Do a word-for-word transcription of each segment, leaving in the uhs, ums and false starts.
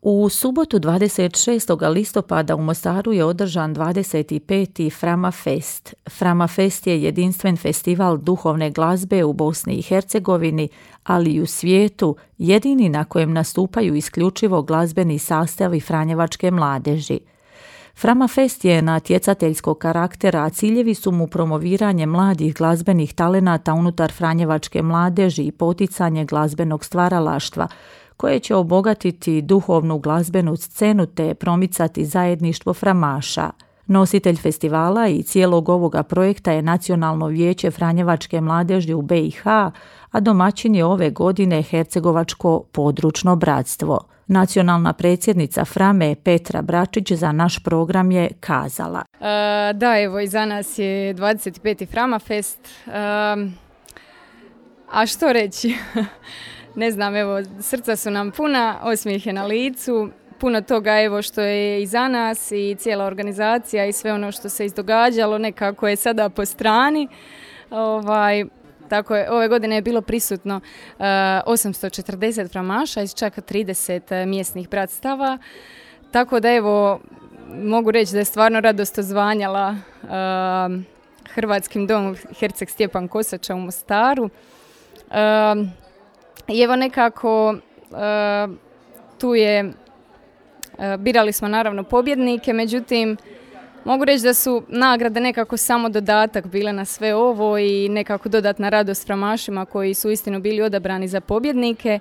U subotu dvadeset šestog listopada u Mostaru je održan dvadeset peti Frama Fest. Frama Fest je jedinstven festival duhovne glazbe u Bosni i Hercegovini, ali i u svijetu, jedini na kojem nastupaju isključivo glazbeni sastavi franjevačke mladeži. Frama Fest je natjecateljskog karaktera, a ciljevi su mu promoviranje mladih glazbenih talenata unutar franjevačke mladeži i poticanje glazbenog stvaralaštva, koje će obogatiti duhovnu glazbenu scenu te promicati zajedništvo framaša. Nositelj festivala i cijelog ovoga projekta je Nacionalno vijeće franjevačke mladeži u be i ha, a domaćin je ove godine Hercegovačko područno bratstvo. Nacionalna predsjednica Frame Petra Bračić za naš program je kazala. Uh, da, evo, iza nas je dvadeset peti Frama Fest. Uh, a što reći? Ne znam, evo, srca su nam puna, osmijeh je na licu, puno toga evo što je iza nas i cijela organizacija i sve ono što se izdogađalo nekako je sada po strani. Ovaj, tako je, ove godine je bilo prisutno uh, osamsto četrdeset framaša iz čak trideset mjesnih bratstava, tako da evo, mogu reći da je stvarno radost ozvanjala uh, Hrvatskim domom Herceg Stjepan Kosača u Mostaru. Uh, I evo nekako uh, tu je, uh, birali smo naravno pobjednike, međutim mogu reći da su nagrade nekako samo dodatak bile na sve ovo i nekako dodatna radost framašima koji su uistinu bili odabrani za pobjednike.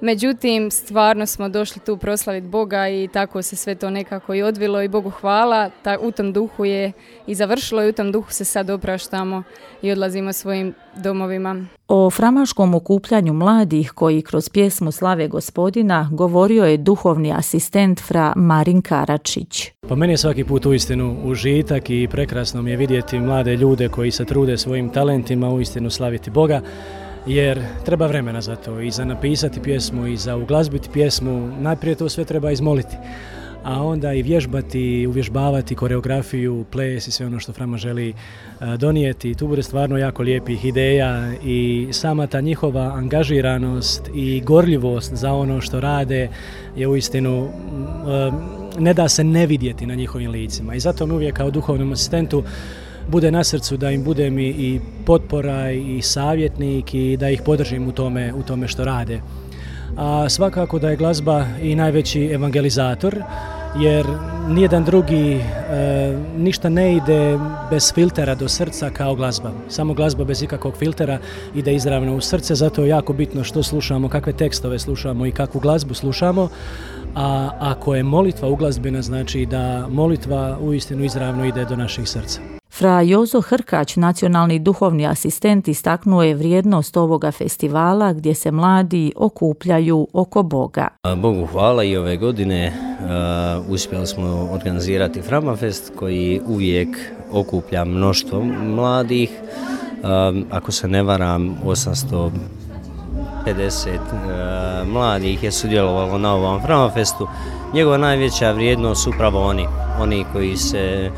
Međutim, stvarno smo došli tu proslaviti Boga i tako se sve to nekako i odvilo i Bogu hvala. Ta, u tom duhu je i završilo i u tom duhu se sad opraštamo i odlazimo svojim domovima. O framaškom okupljanju mladih koji kroz pjesmu Slave Gospodina govorio je duhovni asistent fra Marin Karačić. Pa meni je svaki put uistinu užitak i prekrasno mi je vidjeti mlade ljude koji se trude svojim talentima uistinu slaviti Boga. Jer treba vremena za to i za napisati pjesmu i za uglazbiti pjesmu, najprije to sve treba izmoliti, a onda i vježbati, uvježbavati koreografiju, ples i sve ono što Frama želi donijeti. Tu bude stvarno jako lijepih ideja i sama ta njihova angažiranost i gorljivost za ono što rade je uistinu, ne da se ne vidjeti na njihovim licima i zato mi uvijek kao duhovnom asistentu bude na srcu da im budem i, i potpora i savjetnik i da ih podržim u tome, u tome što rade. A svakako da je glazba i najveći evangelizator, jer nijedan drugi e, ništa ne ide bez filtera do srca kao glazba. Samo glazba bez ikakvog filtera ide izravno u srce, zato je jako bitno što slušamo, kakve tekstove slušamo i kakvu glazbu slušamo. A ako je molitva uglazbena, znači da molitva uistinu izravno ide do naših srca. Fra Jozo Hrkać, nacionalni duhovni asistent, istaknuo je vrijednost ovoga festivala gdje se mladi okupljaju oko Boga. Bogu hvala i ove godine uh, uspjeli smo organizirati Frama Fest koji uvijek okuplja mnoštvo mladih. Uh, ako se ne varam, osamsto pedeset uh, mladih je sudjelovalo na ovom Frama Festu. Njegova najveća vrijednost su upravo oni, oni koji se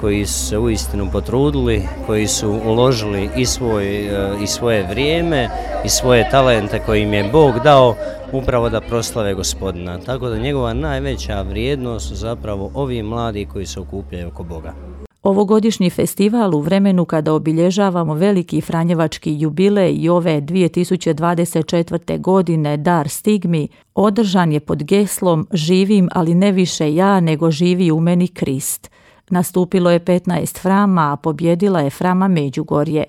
koji su se uistinu potrudili, koji su uložili i, svoj, i svoje vrijeme i svoje talente koje im je Bog dao upravo da proslave Gospodina. Tako da njegova najveća vrijednost su zapravo ovi mladi koji se okupljaju oko Boga. Ovogodišnji festival u vremenu kada obilježavamo veliki franjevački jubilej i ove dvije tisuće dvadeset četvrte. godine Dar stigmi, održan je pod geslom Živim, ali ne više ja, nego živi u meni Krist. Nastupilo je petnaest frama, a pobjedila je Frama Međugorje.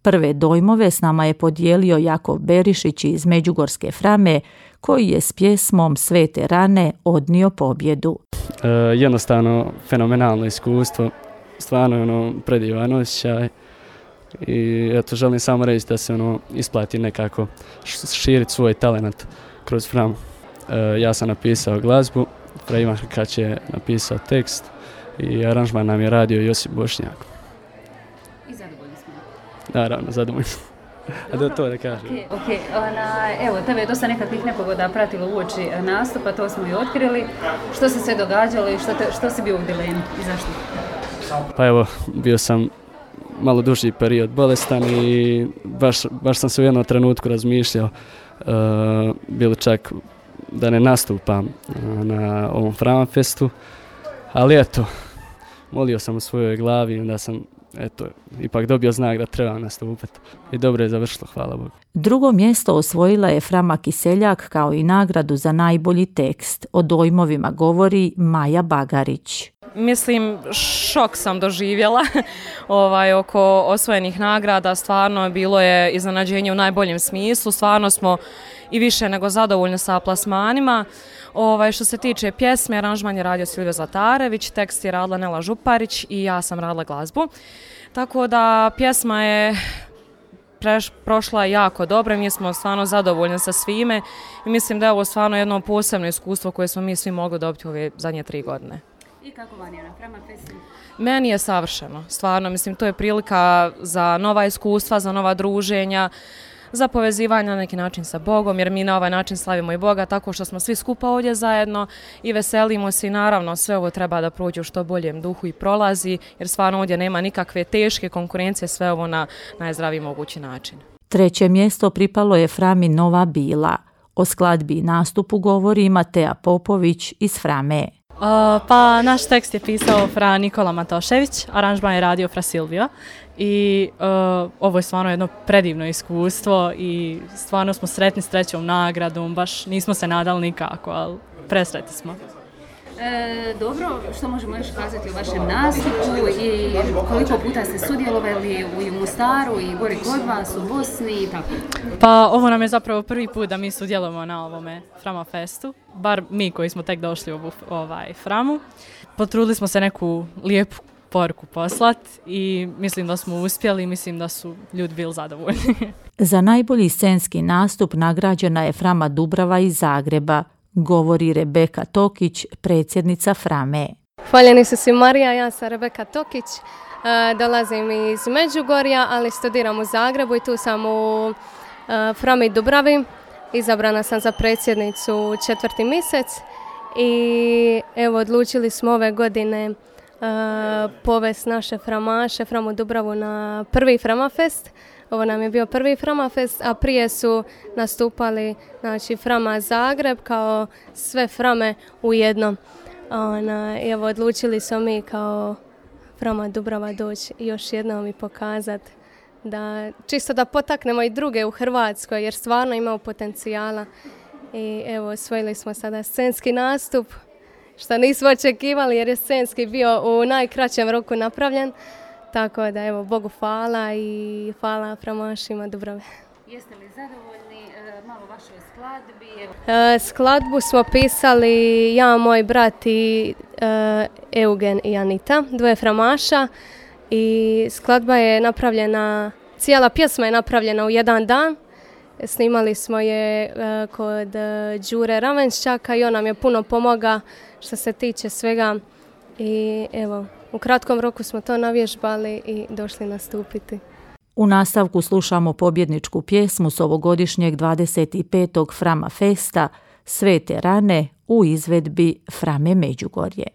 Prve dojmove s nama je podijelio Jakov Berišić iz Međugorske Frame, koji je s pjesmom Svete rane odnio pobjedu. E, jednostavno fenomenalno iskustvo, stvarno ono predivan osjećaj i eto želim samo reći da se ono isplati nekako širiti svoj talent kroz Framu. E, ja sam napisao glazbu, Fra Ivan Hrkać je napisao tekst i aranžman nam je radio Josip Bošnjak. I zadovoljni smo. Naravno, zadovoljni smo. A da to da kažem. Okay, okay. Ona, evo, tebe je dosta nekakvih nepogoda pratilo uoči nastupa, to smo i otkrili. Što se sve događalo i što, te, što si bio u dilemi i zašto? Pa evo, bio sam malo duži period bolestan i baš, baš sam se u jednom trenutku razmišljao. Uh, bilo čak da ne nastupam na ovom Frama Festu, ali eto, molio sam u svojoj glavi i onda sam eto, ipak dobio znak da treba nastupati. I dobro je završilo, hvala Bogu. Drugo mjesto osvojila je Frama Kiseljak kao i nagradu za najbolji tekst. O dojmovima govori Maja Bagarić. Mislim, šok sam doživjela ovaj, oko osvojenih nagrada. Stvarno bilo je iznenađenje u najboljem smislu. Stvarno smo i više nego zadovoljni sa plasmanima. Ovaj, što se tiče pjesme, aranžman je radio Silvio Zlatarević, tekst je radila Nela Župarić i ja sam radila glazbu. Tako da pjesma je preš, prošla jako dobro, mi smo stvarno zadovoljni sa svime i mislim da je ovo stvarno jedno posebno iskustvo koje smo mi svi mogli dobiti u ove zadnje tri godine. I kako vam je na Frama Festu? Meni je savršeno, stvarno, mislim, to je prilika za nova iskustva, za nova druženja, za povezivanje na neki način sa Bogom, jer mi na ovaj način slavimo i Boga tako što smo svi skupa ovdje zajedno i veselimo se i naravno sve ovo treba da prođe u što boljem duhu i prolazi, jer stvarno ovdje nema nikakve teške konkurencije, sve ovo na najzdraviji mogući način. Treće mjesto pripalo je Frami Nova Bila. O skladbi i nastupu govori Matea Popović iz Frame. Uh, pa naš tekst je pisao Fra Nikola Matošević, aranžman je radio Fra Silvio i uh, ovo je stvarno jedno predivno iskustvo i stvarno smo sretni s trećom nagradom, baš nismo se nadali nikako, ali presretni smo. E, dobro, što možemo još kazati o vašem nastupu i koliko puta ste sudjelovali u Mostaru i gori kod vas, u Bosni i tako? Pa ovo nam je zapravo prvi put da mi sudjelujemo na ovome Frama Festu, bar mi koji smo tek došli u ovu ovaj, Framu. Potrudili smo se neku lijepu poruku poslati i mislim da smo uspjeli, mislim da su ljudi bili zadovoljni. Za najbolji scenski nastup nagrađena je Frama Dubrava iz Zagreba, govori Rebeka Tokić, predsjednica Frame. Hvaljeni su si Marija, ja sam Rebeka Tokić, e, dolazim iz Međugorja, ali studiram u Zagrebu i tu sam u e, Frami Dubravi. Izabrana sam za predsjednicu četvrti mjesec i evo odlučili smo ove godine e, povesti naše framaše, Framu Dubravu na prvi Frama Fest. Ovo nam je bio prvi Frama Fest, a prije su nastupali znači, Frama Zagreb kao sve Frame u jednom. Ona, evo, odlučili smo mi kao Frama Dubrava doći još jednom i pokazati da čisto da potaknemo i druge u Hrvatskoj jer stvarno imamo potencijala. I evo, osvojili smo sada scenski nastup, što nismo očekivali jer je scenski bio u najkraćem roku napravljen. Tako da evo, Bogu hvala i hvala framašima Dubrave. Jeste li zadovoljni e, malo vašoj skladbi? E, skladbu smo pisali ja, moj brat i e, Eugen i Anita, dvoje framaša i skladba je napravljena, cijela pjesma je napravljena u jedan dan. Snimali smo je e, kod e, Đure Ravenščaka i on nam je puno pomoga što se tiče svega i evo, u kratkom roku smo to navježbali i došli nastupiti. U nastavku slušamo pobjedničku pjesmu s ovogodišnjeg dvadeset petog Frama Festa Svete rane u izvedbi Frame Međugorje.